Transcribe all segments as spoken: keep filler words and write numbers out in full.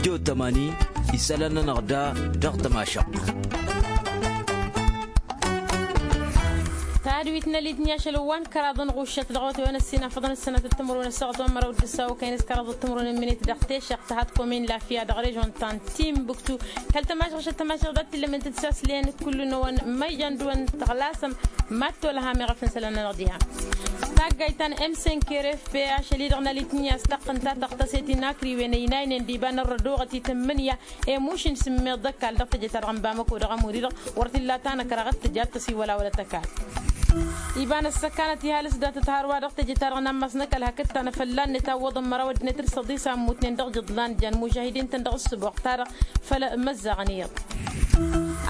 Tijo tămani isălan-nănăɣ da dăɣ-tămašăɣt. Tadwit n-elitni ašăl wa n-kăraḍ n-ɣuššăt dăɣ-wăt-wen ăssinafăḍăn ăssanăt d-timǝrwen ăssaɣăt wa n-măraw d-ǝssaw kăyăn s-kăraḍ d-timǝrwen n-minit dăɣ-tešăɣt tăhat komin lafiya dăɣ-režon ta n-timbuktu. Kăl-tămašăɣ šăt tămašăɣ dat-tillămen tǝtsaslăyăn kullu-năwăn ma ijan dăɣ-wăn tăɣlasăm mad-tolăham i-ɣăf n-isălan-nănăɣ diha. Taggayt ta n-m cinq r f p ašăl-i-dăɣ n-elitni a-s taqqǝnta tăɣtăset inakriwen ăynaynen d-iba n-ărrădoɣăt itǝmmǝnǝya i-mušǝn sǝmmeḍ d-ăkall dăɣ-teje-ta-dăɣ n-bamăko dăɣ-ămur-i-dăɣ wăr t-illa tanăkraɣăt tǝja ad-tăsiwălawălăt ăkall. Iba n-ăssăkanăt ihalǝs datăt hărwa dăɣ-teje-ta-dăɣ n-ammas n-ăkall hakd tanăfălla-net a ǝwwăḍăn măraw ăddinăt d-săḍis a ǝmmutnen dăɣ-jǝḍlan jan mužahidin-tăn dăɣ-ǝssǝboɣ-ta-dăɣ făll-imăzzaɣăn iyyăḍ.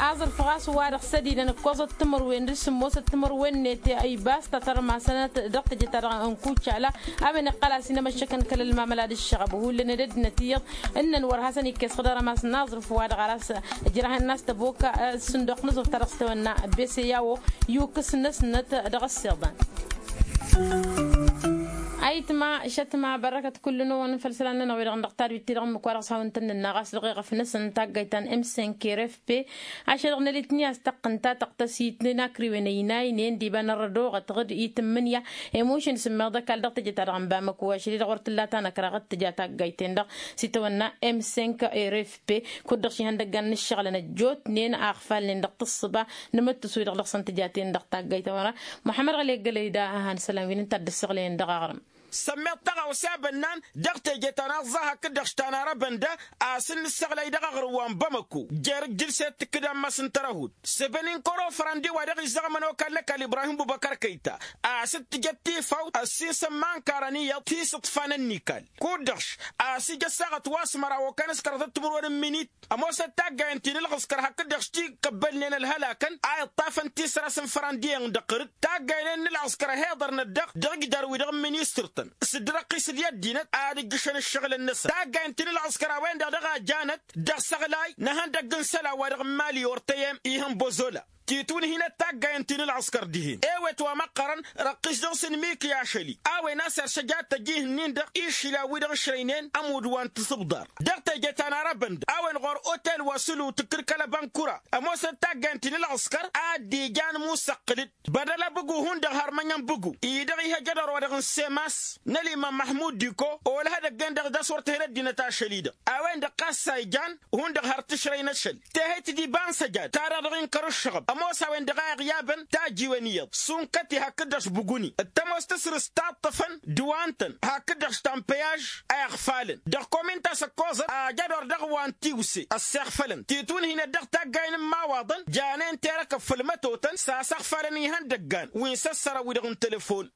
Aẓrǝf ɣas wa-dăɣ s-ădilăn ǝkkoẓăt timǝrwen d-sǝmmosăt timǝrwen-net ibas ta tărmasănăt dăɣ-teje-ta-dăɣ n-kucala a-wen iqqăl a-s inămăššăkăn kăl-ălmamăla d-ǝššăɣăb hullan d-ăddinăt iyyăḍ. Ǝnnăn wăr hasăn-ikkes xǝdărăm a-s n-aẓrǝf wa-dăɣ ar a-s ǝjrahăn n-a-s tăboka s-sǝndoq n-aẓrǝf ta dăɣ-s tawănna bese i-a-wo yukǝs-năsnăt dăɣ-ăssiḍan. Ayǝtma šătma bărrăkăt kullu-năwăn făll-isălan-nănăɣ wi-dăɣ dăɣ-tadwit-ti-dăɣ ǝmmǝk wa dăɣ-s hawăn-tăn-nǝnna ɣas dăɣ-eɣăf-năsăn taggayt ta n-m cinq r f p ašăl dăɣ-nălitni a-s tăqqǝnta tăɣtăsit n-akriwen ăynaynen d-iba n-ărrădoɣăt ɣǝd itǝmmǝnǝya i-mušǝn sǝmmeḍ ăkall dăɣ-teje-ta-dăɣ n-bamăko ašăl-i-dăɣ wăr t-illa tanăkraɣăt tǝja taggayt-ten-dăɣ s-itawănna m cinq r f p. Kud-dăɣ šihăndăggan n-ǝššăɣǝlăn ăjjootnen a ăɣfalnen dăɣ-tǝssǝba n-imǝttǝs-wi-dăɣ dăɣ-săn tǝjaten dăɣ-taggayt ta wăra muḥămmăd ɣăli ăggălăy da a han-isălan wi n-ǝnta a dd-ǝssăɣlăyăn dăɣ-aɣrǝm. Sămmeḍ taɣawse a bănnan dăɣ-teje ta n-aẓẓa hakd-dăɣ s-tanarăbăn da a-s n-nǝssăɣlăy dăɣ-aɣrǝm wa n-bamăko jer-ǝjjǝlset tǝkkǝd ammas n-tărăhut săbăn inkăr ofărăn d-i-wa-dăɣ izzăɣ ămănokal n-ăkall ibrahim bubăkăr kăyta a-s dd-tǝjăt tifawt ăssinsăn ma ǝnkarăn iyyăḍ tisǝḍfa n-ănnikal. Kud-dăɣ a-s ija ăssaɣăt wa s-măraw okăn s-kăraḍăt timǝrwen n-minit ămoosăt taggayăn ti n-ǝlɣǝskăr hakd-dăɣ s-ti-kăbbălnen ălhălakăn a iṭṭafăn tisras n-fărăndiyen dăɣ-tărǝt. Taggaynen n-ǝlɣǝskăr ăhiḍărnăt dăɣ-dăɣ igdar-wi-dăɣ n-ministăr-tăn s-dd-răqqisăd i-ăddinăt ad-ǝjjǝšăn ǝššăɣǝlăn-năsăn taggayăn ti n-ǝlɣǝskăr a-wen-dăɣ dăɣ-a janăt dăɣ-isăɣlay n-ihăndăgg n-isălan wa dăɣ-n mali ortăyem ihăn bozola. Titwǝnhinăt taggayăn ti n-ǝlɣǝskăr dihen ewet wa măqqărăn răqqis dăɣ-s n-miki ašăl-i a-wen a-s irsăj ad-tăj ihǝnnin-dăɣ išlan-wi-dăɣ ǝšrăynen ămudd wa n-tisǝbḍar. Dăɣ-teje ta n-arăbăn-dăɣ a-wen ɣur-otel wa s-ǝlǝw tǝkkǝd kăl-ăbănkura ămoosăt taggayăn ti n-ǝlɣǝskăr a dd-ijan musăqqǝl-dd bădăl abǝgu hundăɣ har mănyăn bǝgu-i-dăɣ ihăjădăr wa dăɣ-n semas n-ălimam măhmud diko olăh edăgg-en-dăɣ d-a-s wăr tǝhǝl ăddinăt ašăl-i-dăɣ a-wen-dăɣ ɣas a ijan hundăɣ har tǝšrăy n-ašăl. Tehăyt d-iba n-săjad ta-dăɣ dăɣ-inkăr ǝššăɣăb ămoos a-wen-dăɣ a iɣyabăn tajiwen iyyăḍ sunkăt-i hakd-dăɣ s-bǝguni d-tămoos tǝsrǝst ta ǝṭṭăfăn d-wa ǝntăn hakd-dăɣ s-tampăyaž a iɣfalăn dăɣ-komin ta s-ăkkoẓăt ajădor dăɣ-wa n-tiwse ăssiɣfălăn titwǝnhinăt dăɣ-taggayen n-imawaḍăn janen terăkăb făll-mătotăn s-asăɣfalăn ihăndăggan wi n-săssărăn wi-dăɣ n-telefon.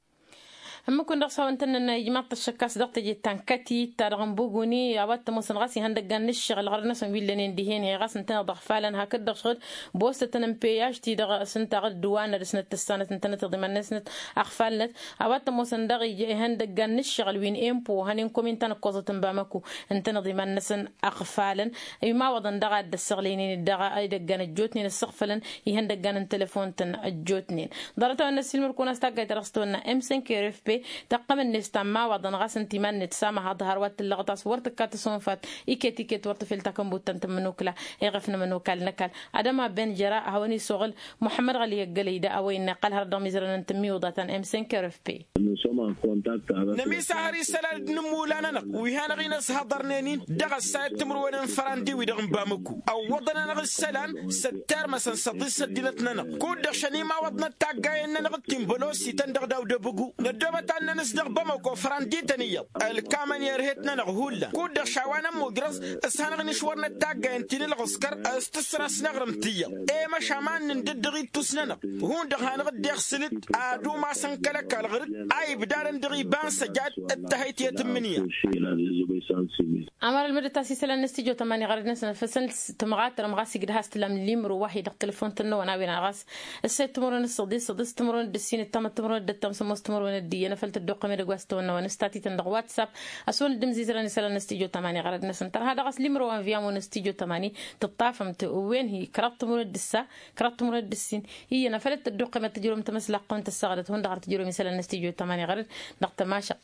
Ǝmmǝk-wǝn dăɣ-s hawăn-tăn-nănna ijmaḍ-t ăššăk a-s dăɣ-teje ta n-kătit-ta-dăɣ n-buguni a-wa t-ămoosăn ɣas ihăndăggan n-ǝššăɣǝl ɣărăd-năsăn wi ǝllănen dihen-i ɣas ǝntăneḍ ăɣfalăn hakd-dăɣ šăɣǝd bostătăn n-peyaj-ti-dăɣ s-ǝnta ɣǝd dd-wa n-ad-dăr-snăt tǝssanăt ǝntănăt iḍiman-năsnăt ăɣfalnăt. A-wa t-ămoosăn daɣ ija ihăndăggan n-ǝššăɣǝl wi n-empo hănen komin ta n-ǝkkoẓăt n-bamăko ǝntăneḍ iman-năsăn ăɣfalăn. Imawăḍăn daɣ a dd-ăssăɣlăynen daɣ idăggan ăjjootnen ăssăɣfălăn ihăndăggan n-telefon-tăn ăjjootnen. Ḍarăt-a-wen n-ăssiilmăr-kăwăn a-s taggayt ta dăɣ-s tăwănna m cinq r f p tăqqăm-net ta n-imawaḍăn ɣas ǝnta iman-net samăhaḍ har wa t-tǝllăɣăt a-s wăr tǝkka tăsonfat iket-iket wăr tǝfel takănbut ta n-tǝmmǝnukla. Eɣăf n-ămănokal n-ăkall adăma ben jăra a hawăn-isuɣǝl muḥămmăd ɣăli ăggălăy da a-wa innă iqqăl hărăt dăɣ-imizărăn n-tǝmmiwǝḍa ta n-m cinq r f p. Nămisahăr isălan d-inǝmmula-nănăɣ wi hanăɣ-in-ăshăḍărnen-in dăɣ-ăssayăt timǝrwen n-fărandi-wi-dăɣ n-bamăku ăwwăḍăn-anăɣ isălan s-ăttermăsăn s-ăḍis ăddinăt-nănăɣ. Kud-dăɣ šăn imawăḍnăt taggayen-nănăɣ d-tinbălosităn dăɣ-daw d-ebǝgu năddoobăt ad-nănăs dăɣ-bamăko fărandităn iyyăḍ ălkamăn i-erhet-nănăɣ hullan kud-dăɣ šawa n-ămmujrăẓ s-hanăɣ-inǝšwărnăt taggayen ti n-ǝlɣǝskăr s-tǝsras n-aɣrǝm ti iyyăḍ. I-măšan ma n-indǝddăɣ ittus-nănăɣ hundăɣ hanăɣ-dd-iɣsǝl-dd ad-umasăn kăl-ăkall ɣǝr-dd a ibdadăn dăɣ-iba n-săjad d-tăhăyt i-tǝmmǝnǝya. Ămăr ălmǝdăt a-s isălan n-studyo tămani ɣărăd-năsăn făsăn tǝmɣatărăm ɣas igdăh a-s tǝlam limro wa hi-dăɣ telefon-tăn-năwăn a-wen a ɣas ǝssed timǝrwen d-săḍis săḍis timǝrwen d-ǝssin d-tamăt timǝrwen d-ǝddǝyyăn afăl tăddoqqăm edăgg wa s-tăwănnăwăn s-tatităn dăɣ-whatsapp. Ăswăn dd-imzizrăn isălan n-studyo tămani ɣărăd-năsăn tărha dăɣ-s limro wa n-viamo n-studyo tămani tǝṭṭafăm-t wen-hi kăraḍ timǝrwen d-ǝssa kăraḍ timǝrwen d-ǝssin. Iyyăn afăl dd-tăddoqqăm ad-tǝjrǝwăm tamăslaqqăwăn tăssaɣdăt hundăɣ har tǝjrǝwăm isălan n-studyo tămani ɣărăd dăɣ-tămašăq.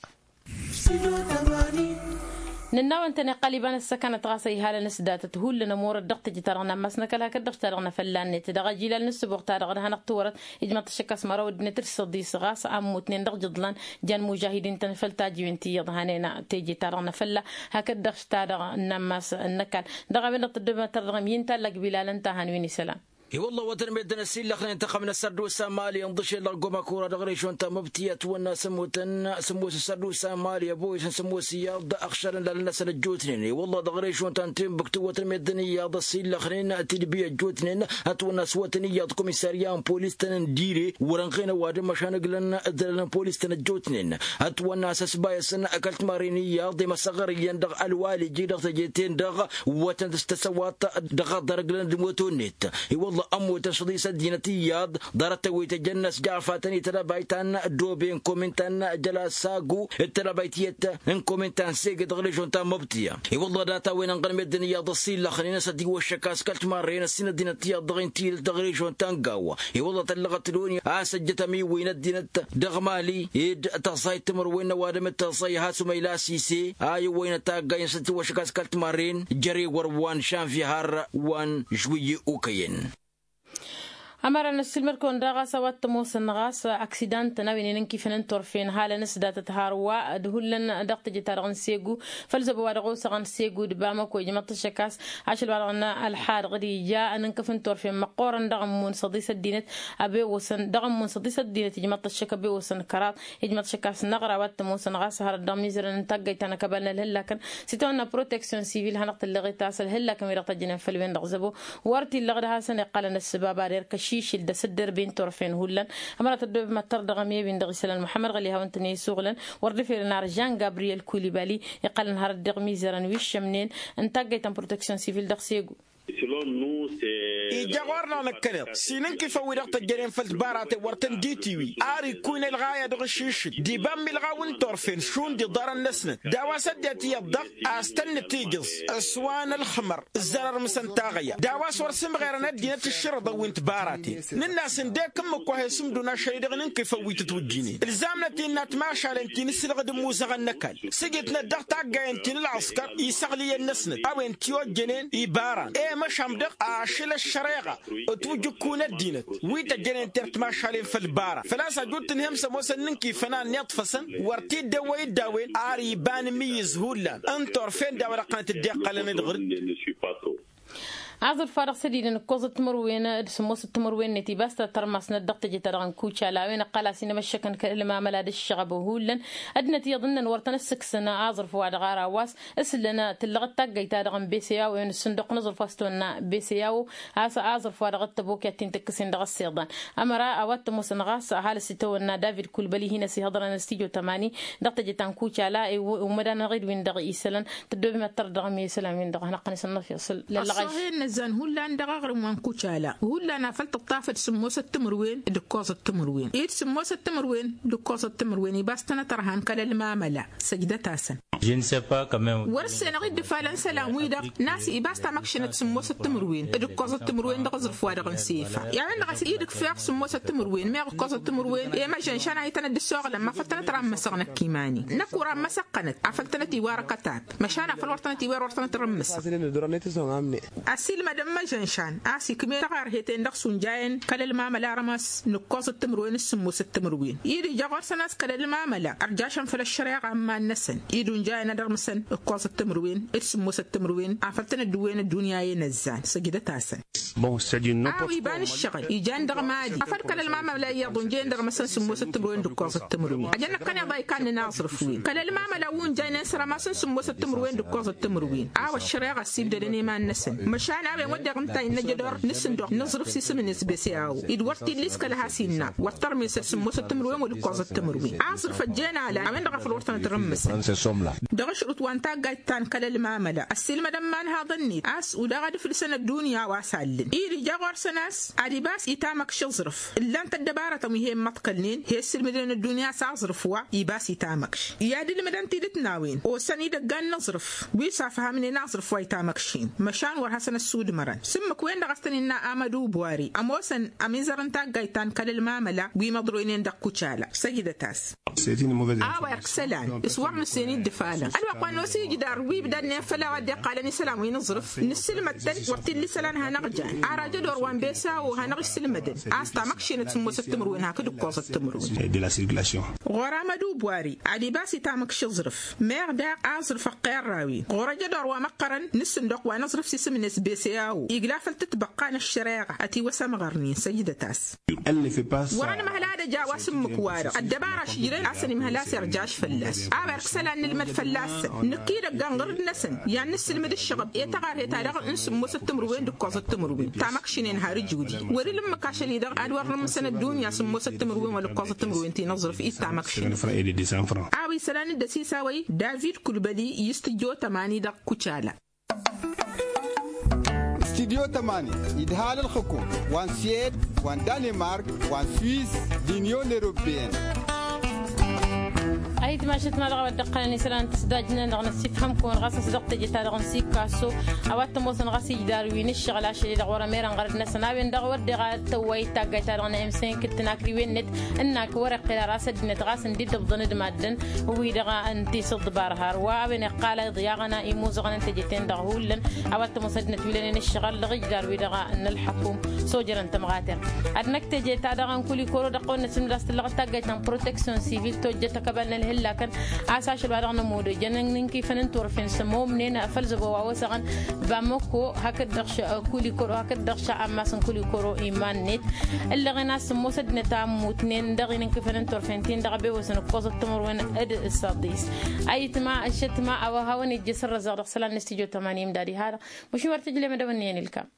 Nǝnn'-awăn-tăn iqqăl iba n-ăssăkanăt ɣas a ihalăn s-datăt hullan ămurăt dăɣ-teje-ta-dăɣ n-ammas n-ăkall hakd-dăɣ ta-dăɣ n-afălla-net dăɣ-ajilal n-ăssǝboɣ-ta-dăɣ d-hanăɣ-tiwărăt ijmăḍ-t ăššăk a-s măraw ăddinăt d-săḍis ɣas a ămmutnen dăɣ-ijǝḍlan. Jan mužahidin-tăn făll-tajiwen ti iyyăḍ hanen teje-ta-dăɣ n-afălla hakd-dăɣ ta-dăɣ n-ammas n-ăkall. Dăɣ-a-wen-dăɣ tăddoobem ad-tărdăɣăm i-ǝnta ăllăg bilal ǝnta a han-win isălan. I-wălla a-wa tăn-meddǝn ăsillăxnen tăxăm n-ăssărdusa mali ǝnḍǝšel dăɣ-goma kura dăɣ-režon ta măbtǝya ătwănna s-ămmutăn sǝmmos ăssărdusa mali ăboyǝsăn sǝmmos iyyăḍ ăɣšălăn lalăn-năsăn ăjjootnen i-wălla dăɣ-režon ta n-tinbǝktu wa tăn-meddǝn iyyăḍ ăsillăxnen tidbi ăjjootnen. Ătwănna s-wătăn iyyăḍ komisarya n-polis-tăn n-dire wăr-ănɣen ăwadǝm măšan ǝglăn d-ălăn polis-tăn ăjjootnen. Ătwănna s-ăsbayăsăn kăl-timarren iyyăḍ i-măsăɣăr iyyăn dăɣ-ălwaliji dăɣ-teje-ten-dăɣ wătăn dăɣ-s tăsăwat dăɣ-aḍăr ǝglăn d-moto-net. I-wălla ămmutăn šăḍis ăddinăt iyyăḍ ḍarăt-tăn wi tăjjăn n-ăsjafatăn i-tălăbayt ta n-dobe n-komin ta n-jălasagu d-tălăbayt iyyăt n-komin ta n-sege dăɣ-režon ta n-măbtǝya. I-wălla data-wen ănɣăn meddǝn iyyăḍ ăsillăxnen a-s ătiwăššăk a-s kăl-timarren ăssin ăddinăt iyyăḍ dăɣ-inti dăɣ-režon ta n-gawa. I-wălla tăllăɣăt loni a-s ăjjătăm iwwăy n-ăddinăt dăɣ-mali ed tăẓẓayt timǝrwen n-ăwadǝm d-tăẓẓay hasumăyla sise a iwwăynăt taggay n-săt tiwăššăk a-s kăl-timarren jăre wăr wa n-šanvye har wa n-žwǝyye okăyăn. Ămăra n-ăssiilmăd-kăwăn daɣ a-s a-wa t-ămoosăn ɣas aksidan-tăn a-wen inǝnkifăn n-turfen halăn s-datăt hărwa d-hullan dăɣ-teje-ta-dăɣ n-segu făll-zăbo wa dăɣ-osăɣăn segu d-bamăko ijmăḍ-t ăššăk a-s ašăl wa dăɣ-nălḥa dăɣ-dija ănǝnkăf n-turfen măqqoorăn dăɣ-ămmun săḍis ăddinăt. Abewăsăn dăɣ-ămmun săḍis ăddinăt ijmăḍ-t ăššăk abewăsăn kăraḍ ijmăḍ-t ăššăk a-s năɣra wa t-ămoosăn ɣas hărăt dăɣ-mizărăn n-taggayt ta n-akăbal n-ălhăllakăn s-itawănna proteksyon sivil hanăɣ-tǝllăɣet a-s ălhăllakăn wi-dăɣ tăjjănen făll-wen-dăɣ zăbo. Wăr t-illăɣ d-hasăn-iqqălăn ăssăbab ad-erk ăšišǝl d-asǝddărben turfen hullan. Ămăra tăddoobem ad-tărdăɣăm i-win-dăɣ isălan muḥămmăd ɣăli hawăn-tăn-e-isuɣǝlăn wăr dd-eferen ar žan gabriyel kulibali iqqălăn hărăt dăɣ-mizărăn wi ǝššămnen n-taggayt ta n-proteksyon sivil dăɣ-segu. Ija ɣur-năɣ năkkăneḍ s-inǝnkifăn wi-dăɣ tăjjănen făll-tibaraten wăr tăn-dd-itiwi ar ikkun ălɣaya dăɣ-ašišǝl d-iba n-milɣaw n-turfen šund iḍarăn-năsnăt d-a-wa s-ăddinăt iyyăḍ-dăɣ a-s tăn-nǝtijǝẓ s-wa n-ălxǝmăr ǝzzărăr mǝsăn taɣăya d-a-wa s-wăr sǝmɣerăn ăddinăt ǝššărǝḍăn wi n-tibaraten. Nǝnn'-as ǝndek ǝmmǝk wa he-sǝmdǝwăn ašăl-i-dăɣ n-inkifăn wi tǝtwǝjjǝnen ǝlzamnăt innă timašalen ti n-ǝslăɣ d-ǝmmuzăɣăn n-ăkall sǝjǝtnăt dăɣ-taggayăn ti n-ălɣăskăr isăɣlǝyăn-năsnăt a-wen t-ojjănen ibaran i-măšan dăɣ-ašăl ăššăreɣa ătwǝjǝkku n-ăddinăt wi tăjjănen tertmašalen făll-ibaran făl-a-s ăjut tǝnhǝyăm s-ămoosăn n-inkifăn a ănniḍfăsăn wăr t-dd-ewwăy d-a-wen ar iba n-imǝyyǝz hullan n-turfen d-a-wa dăɣ-tăn-tǝddeqqălăn d-ɣǝr-dd. Aẓrǝf wa dăɣ-sădidăn ǝkkoẓăt timǝrwen d-sǝmmosăt timǝrwen-net ibas ta tărmasnăt dăɣ-teje-ta-dăɣ n-kucala a-wen ǝqqăl a-s inămăššăkăn kăl-ălmamăla d-ǝššăɣăb hullan. Ăddinăt iyyăḍ ǝnnăn wăr tăn-ăssǝksǝn aẓrǝf wa dăɣ-ara wa s-ǝslăn tǝllăɣăt taggăyt-ta-dăɣ n-beseyawo a-wen ǝssǝnduq n-aẓrǝf wa s-tăwănna beseyawo. A-s aẓrǝf wa dăɣ-ăttăbok i-ad-t-in-tǝkkǝsen dăɣ-ăssiḍan ămăra a-wa t-ămoosăn ɣas ăhalǝs itawănna david kulbăli hin-ăsihăḍrăn s-tijo tămani dăɣ-teje ta n-kucala. Umăd-anăɣ-dd win-dăɣ isălan tăddoobem ad-tărdăɣăm i-isălan-win-dăɣ hanăɣ-tăn-isănnăf iṣǝl lăllăɣăy. Ăṣṣohen n-ăzzan hullan dăɣ-aɣrǝm wa n-kucala hullan afăl tǝṭṭafăd sǝmmosăt timǝrwen d-ǝkkoẓăt timǝrwen ed sǝmmosăt timǝrwen d-ǝkkoẓăt timǝrwen ibas-tăn ătrăhan kăl-ălmamăla. Săjdăt-asăn. Wăr-ǝssenăɣ-dd ǝfalăn isălan-wi-dăɣ n-a-s ibas tamăkšănăt sǝmmosăt timǝrwen d-ǝkkoẓăt timǝrwen dăɣ-aẓrǝf wa dăɣ-n sefa. I-a-wen-dăɣ a-s i-dd-ǝkfeɣ sǝmmosăt timǝrwen meɣ ǝkkoẓăt timǝrwen i-măžănšan a itănăt d-ăssoɣlăn ma făl tănăt rammăsăɣ năkk iman-i năkk wăr-ammăsăɣ-tănăt afăl tănăt-iwar ăkătab. Măšan afăl wăr tănăt-iwar wăr tănăt-rămmǝsăɣ. Ăsiilmădăn măžănšan a-s ikm'-e taɣărhet-en-dăɣ s-unjayăn kăl-ălmamăla rămas n-ǝkkoẓăt timǝrwen s-sǝmmosăt timǝrwen-i d-ija ɣur-săn a-s kăl-ălmamăla ărjašăn făll-ăššăreɣa n-iman-năsăn-i d-unjayăn ad-ărmǝsăn ǝkkoẓăt timǝrwen d-sǝmmosăt timǝrwen afăl tăn-ăddǝwwen ăddunya i-inăzzan. Săjdăt-asăn. A-wa iba n-ǝššăɣǝl ijan dăɣ-mali afăl kăl-ălmamăla iyyăḍ unjăyăn d-ărmăsăn sǝmmosăt timǝrwen d-ǝkkoẓăt timǝrwen ăjăn năkkăneḍ a ikannan aẓrǝf-wen kăl-ălmamăla wi unjăynen s-rămasăn sǝmmosăt timǝrwen d-ǝkkoẓăt timǝrwen. A-wa ăššăreɣa ăssibdădăn i-iman-năsăn măšan a-wen wădden ǝnta innă ăjădor n-asǝnduɣ n-aẓrǝf s-isǝm-net beseyawo-i d-wăr t-illa iskăl a has-innă wăr tărmesăd sǝmmosăt timǝrwen wăla ǝkkoẓăt timǝrwen. Aẓrǝf ăjjeen ala a-wen-dăɣ a făl wăr tănăt-rămmǝsăn. Dăɣ-ašrǝt wa n-taggayt ta n-kăl-ălmamăla ăssiilmădăn imanhaḍăn-net a-s udaɣ ad-ǝflǝsăn ăddunya a-wa s-allǝn-i d-ija ɣur-săn a-s ad-ibas itamăkš aẓrǝf ǝllan-t ăddăbarătăn wi he-immăḍkălnen he-ǝssǝlmǝdnen ăddunya a-s aẓrǝf wa ibas itamăkš i-ad-ǝlmǝdăn tidǝt n-a-wen osăn idăggan n-aẓrǝf wi s-afhămnen aẓrǝf wa itamăkšen. Măšan wăr hasăn-ăssudmărăn s-ǝmmǝk-wen-dăɣ a-s tăn-innă amădu bwari ămoosăn ămizăr n-taggayt ta n-kăl-ălmamăla wi măḍroynen dăɣ-kucala. Săjdăt-as. A-wa irk isălan s-wăr nǝssen-dd ǝfalăn ălwăqq wa n-osi ijdar wi ibdadnen făll-a-wa dd-iqqalăn isălan wi n-aẓrǝf nǝssǝlmăd-tăn wăr t-illa isălan hanăɣ-jan. Arajădor wa n-besawo hanăɣ-issǝlmădăn a-s tamăkšinăt sǝmmosăt timǝrwen hakd ǝkkoẓăt timǝrwen. Ɣur-amădubwari ad-ibas i-tamăkši aẓrǝf meɣ daɣ aẓrǝf ăqqerrawen ɣur-ajădor wa măqqărăn n-asǝnduq wa n-aẓrǝf s-isǝm-net besawo igla făll-tǝtbăqqa n-ăššăreɣa ătiwăs amɣărnen săjdăt-as. Wăr-ănmăhăl ad-ăj a-wa s-ǝmmǝk-wa-dăɣ ăddăbara a-s ǝjrăyăn a-s ănimhăl a-s irjaš fălla-s a-wa irk isălan nǝlmăd fălla-săn. Nǝkk idăgg anɣărǝd-năsăn i-ad-nǝssǝlmǝd ǝššăɣăb i-taɣarhet-ta-dăɣ n-sǝmmosăt timǝrwen d-ǝkkoẓăt timǝrwen tamăkšinen har ǝjudi wăr-ila ǝmmǝk ašăl-i-dăɣ ad-wăr nǝmmǝsăn ăddunya sǝmmosăt timǝrwen wăla ǝkkoẓăt timǝrwen ti n-aẓrǝf i-tamăkšinen. A-wa isălan d-asisawăy david kulbăli i-s tǝjjo tămani dăɣ-kucala. Studyo tămani idhal ǝlxǝkum wa n-siyed wa n-danimark wa n-swiss d-inyon europeyăn. Ayǝtmašăt ma dăɣ-a-wa dd-ăqqălăn isălan n-tǝsdajnen dăɣ-năssifhăm-kăwăn ɣas a-s dăɣ-teje-ta-dăɣ n-sikaso a-wa t-ămoosăn ɣas ijdar wi n-ǝššăɣǝl ašăl-i-dăɣ wăr-ămerăn ɣărăd-năsăn a-wen-dăɣ wăr deɣ ad-tăwwayǝd taggayt-ta-dăɣ n-emsenk d-tinakriwen-net. Ǝnnak wăr-iqqel ara s-ăddinăt ɣas ǝndidăbḍăn d-maddǝn wi-dăɣ ǝnta isǝḍḍǝbar har wa a-wen iqqal a iḍyaɣăn imuzăɣăn n-teje-ten-dăɣ hullan. A-wa t-ămoos ăddinăt wi lănen ǝššăɣǝl dăɣ-ijdar-wi-dăɣ n-ălḥăkum sojărăn tămɣater. Ad-năkk teje-ta-dăɣ n-kulikoro dăɣ-kăwăn-năsǝmdăr a-s tǝllăɣ d-taggayt ta n-proteksyon sivil tojjăt ăkăbal n-ălhǝllakăn. A-s ašăl wa dăɣ-nămudăjăn n-inkifăn n-turfen s-ămomnen făll-zăbo wa osăɣăn bamăko hakd-dăɣ kulikoro hakd-dăɣ šăɣ ammas n-kulikoro iman-net. Ǝllăɣen a-s ămoos ăddinăt a ămmutnen dăɣ-inǝnkifăn n-turfen-tin-dăɣ a bewăsăn ǝkkoẓăt timǝrwen d-săḍis. Ayǝtma ăššătma a-wa hawăn-ijjǝs ărrăzăɣ dăɣ-isălan n-studyo tămani imdad iha-dăɣ. Măšin wăr tǝjlem ad-dăwănnăyăn ilkam.